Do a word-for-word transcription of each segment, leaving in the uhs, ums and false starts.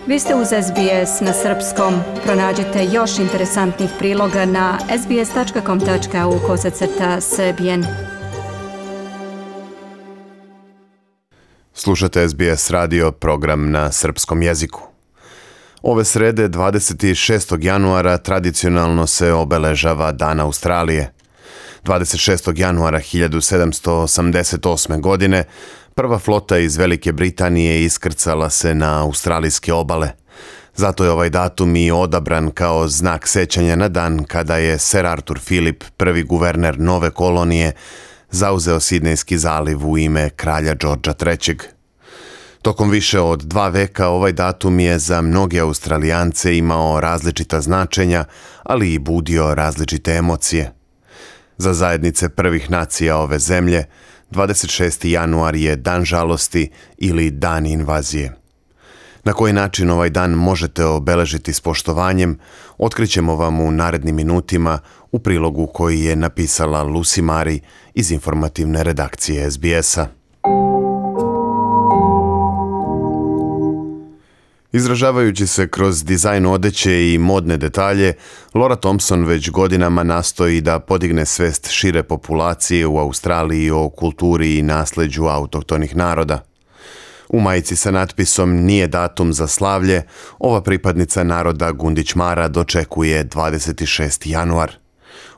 Vi ste uz S B S na srpskom. Pronađite još interesantnih priloga na sbs.com.au kosacrta srbijen. Slušate S B S radio, program na srpskom jeziku. Ove srede, dvadeset šestog januara, tradicionalno se obeležava Dan Australije. dvadeset šestog januara hiljadu sedamsto osamdeset osme. godine prva flota iz Velike Britanije iskrcala se na australijske obale. Zato je ovaj datum i odabran kao znak sećanja na dan kada je Sir Arthur Phillip, prvi guverner nove kolonije, zauzeo Sidnejski zaliv u ime kralja Georgea trećeg. Tokom više od dva veka ovaj datum je za mnoge Australijance imao različita značenja, ali i budio različite emocije. Za zajednice prvih nacija ove zemlje, dvadeset šesti januar je dan žalosti ili dan invazije. Na koji način ovaj dan možete obeležiti s poštovanjem, otkrićemo vam u narednim minutima u prilogu koji je napisala Lucy Mari iz informativne redakcije S B S-a. Izražavajući se kroz dizajn odeće i modne detalje, Laura Thompson već godinama nastoji da podigne svest šire populacije u Australiji o kulturi i nasleđu autohtonih naroda. U majici sa natpisom "Nije datum za slavlje", ova pripadnica naroda Gundić Mara dočekuje dvadeset šesti januar.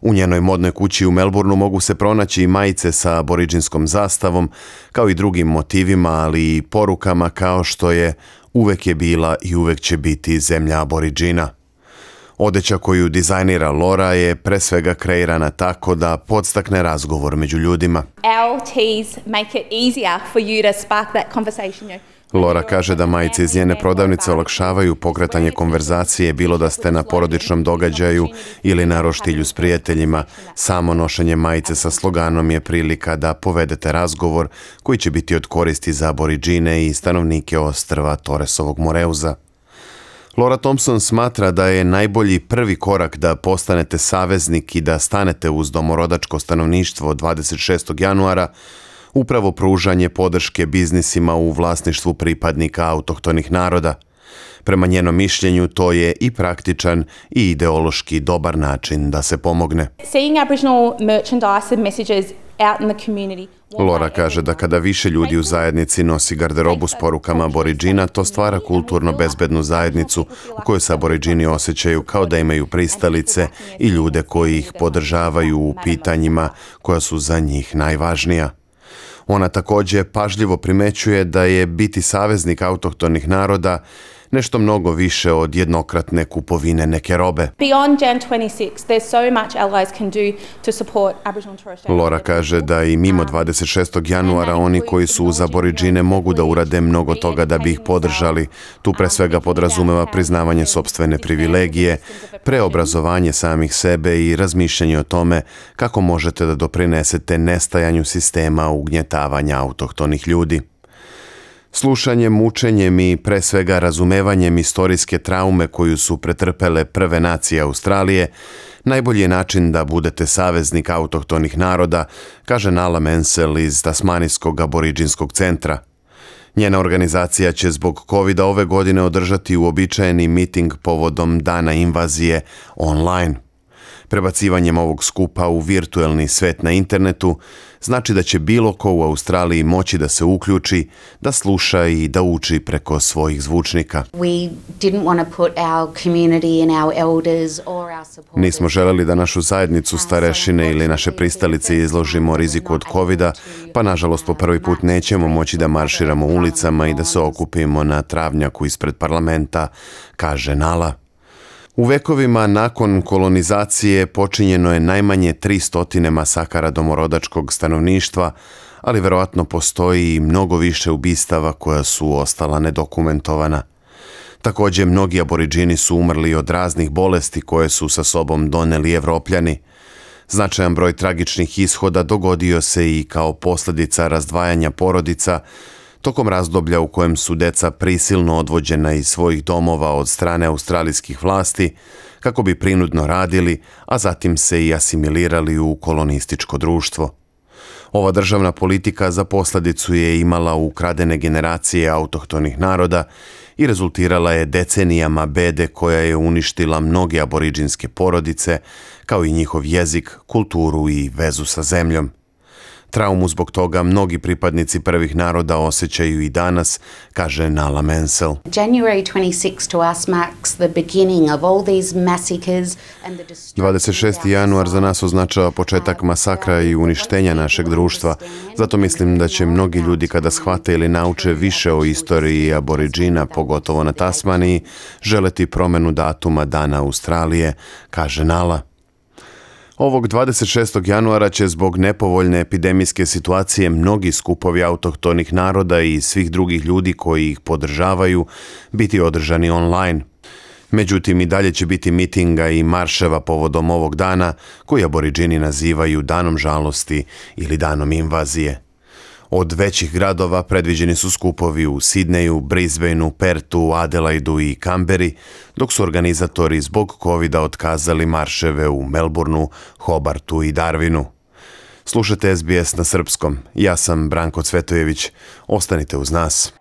U njenoj modnoj kući u Melbourneu mogu se pronaći i majice sa aboriđinskom zastavom, kao i drugim motivima, ali i porukama kao što je "Uvek je bila i uvek će biti zemlja aboriđina". Odeća koju dizajnira Laura je pre svega kreirana tako da podstakne razgovor među ljudima. Our tees make it easier for you to spark that conversation. Laura kaže da majice iz njene prodavnice olakšavaju pokretanje konverzacije, bilo da ste na porodičnom događaju ili na roštilju s prijateljima. Samo nošenje majice sa sloganom je prilika da povedete razgovor koji će biti od koristi za aboriđine i stanovnike ostrva Torresovog Moreuza. Laura Thompson smatra da je najbolji prvi korak da postanete saveznik i da stanete uz domorodačko stanovništvo dvadeset šestog januara upravo pružanje podrške biznisima u vlasništvu pripadnika autohtonih naroda. Prema njenom mišljenju to je i praktičan i ideološki dobar način da se pomogne. Seeing Aboriginal merchandise and messages out in the community. Laura kaže da kada više ljudi u zajednici nosi garderobu s porukama aboriđina, to stvara kulturno bezbednu zajednicu u kojoj se aboriđini osjećaju kao da imaju pristalice i ljude koji ih podržavaju u pitanjima koja su za njih najvažnija. Ona također pažljivo primećuje da je biti saveznik autohtonih naroda nešto mnogo više od jednokratne kupovine neke robe. Beyond Jan twenty-sixth, there's so much allies can do to support Aboriginal and Torres Strait. Laura kaže da i mimo dvadeset šestog januara oni koji su uz aboriđine mogu da urade mnogo toga da bi ih podržali. Tu pre svega podrazumeva priznavanje sopstvene privilegije, preobrazovanje samih sebe i razmišljanje o tome kako možete da doprinesete nestajanju sistema ugnjetavanja autohtonih ljudi. Slušanjem, učenjem i pre svega razumevanjem istorijske traume koju su pretrpele prve nacije Australije, najbolji je način da budete saveznik autohtonih naroda, kaže Nala Mensel iz Tasmanijskog aboriđinskog centra. Njena organizacija će zbog kovida ove godine održati uobičajeni miting povodom dana invazije online. Prebacivanjem ovog skupa u virtuelni svet na internetu znači da će bilo ko u Australiji moći da se uključi, da sluša i da uči preko svojih zvučnika. Nismo želeli da našu zajednicu, starešine ili naše pristalice izložimo riziku od kovida, pa nažalost po prvi put nećemo moći da marširamo ulicama i da se okupimo na travnjaku ispred parlamenta, kaže Nala. U vekovima nakon kolonizacije počinjeno je najmanje tristo masakara domorodačkog stanovništva, ali verovatno postoji i mnogo više ubistava koja su ostala nedokumentovana. Također, mnogi aboriđini su umrli od raznih bolesti koje su sa sobom doneli Evropljani. Značajan broj tragičnih ishoda dogodio se i kao posljedica razdvajanja porodica, tokom razdoblja u kojem su deca prisilno odvođena iz svojih domova od strane australijskih vlasti kako bi prinudno radili, a zatim se i asimilirali u kolonističko društvo. Ova državna politika za posljedicu je imala ukradene generacije autohtonih naroda i rezultirala je decenijama bede koja je uništila mnoge aboriđinske porodice, kao i njihov jezik, kulturu i vezu sa zemljom. Traumu zbog toga mnogi pripadnici prvih naroda osjećaju i danas, kaže Nala Mansell. January twenty-sixth to us marks the beginning of all these massacres and the destruction. dvadeset šesti januar za nas označava početak masakra i uništenja našeg društva. Zato mislim da će mnogi ljudi kada shvate ili nauče više o istoriji aboriđina, pogotovo na Tasmaniji, želeti promenu datuma Dana Australije, kaže Nala. Ovog dvadeset šestog januara će zbog nepovoljne epidemijske situacije mnogi skupovi autohtonih naroda i svih drugih ljudi koji ih podržavaju biti održani online. Međutim, i dalje će biti mitinga i marševa povodom ovog dana koji aboriđini nazivaju danom žalosti ili danom invazije. Od većih gradova predviđeni su skupovi u Sidneju, Brisbaneu, Pertu, Adelaidu i Kamberi, dok su organizatori zbog covida otkazali marševe u Melbourneu, Hobartu i Darwinu. Slušajte S B S na srpskom. Ja sam Branko Cvetojević. Ostanite uz nas.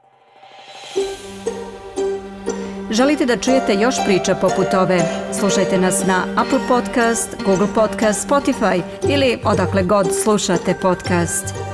Želite da čujete još priča poput ove? Slušajte nas na Apple Podcast, Google Podcast, Spotify ili odakle god slušate podcast.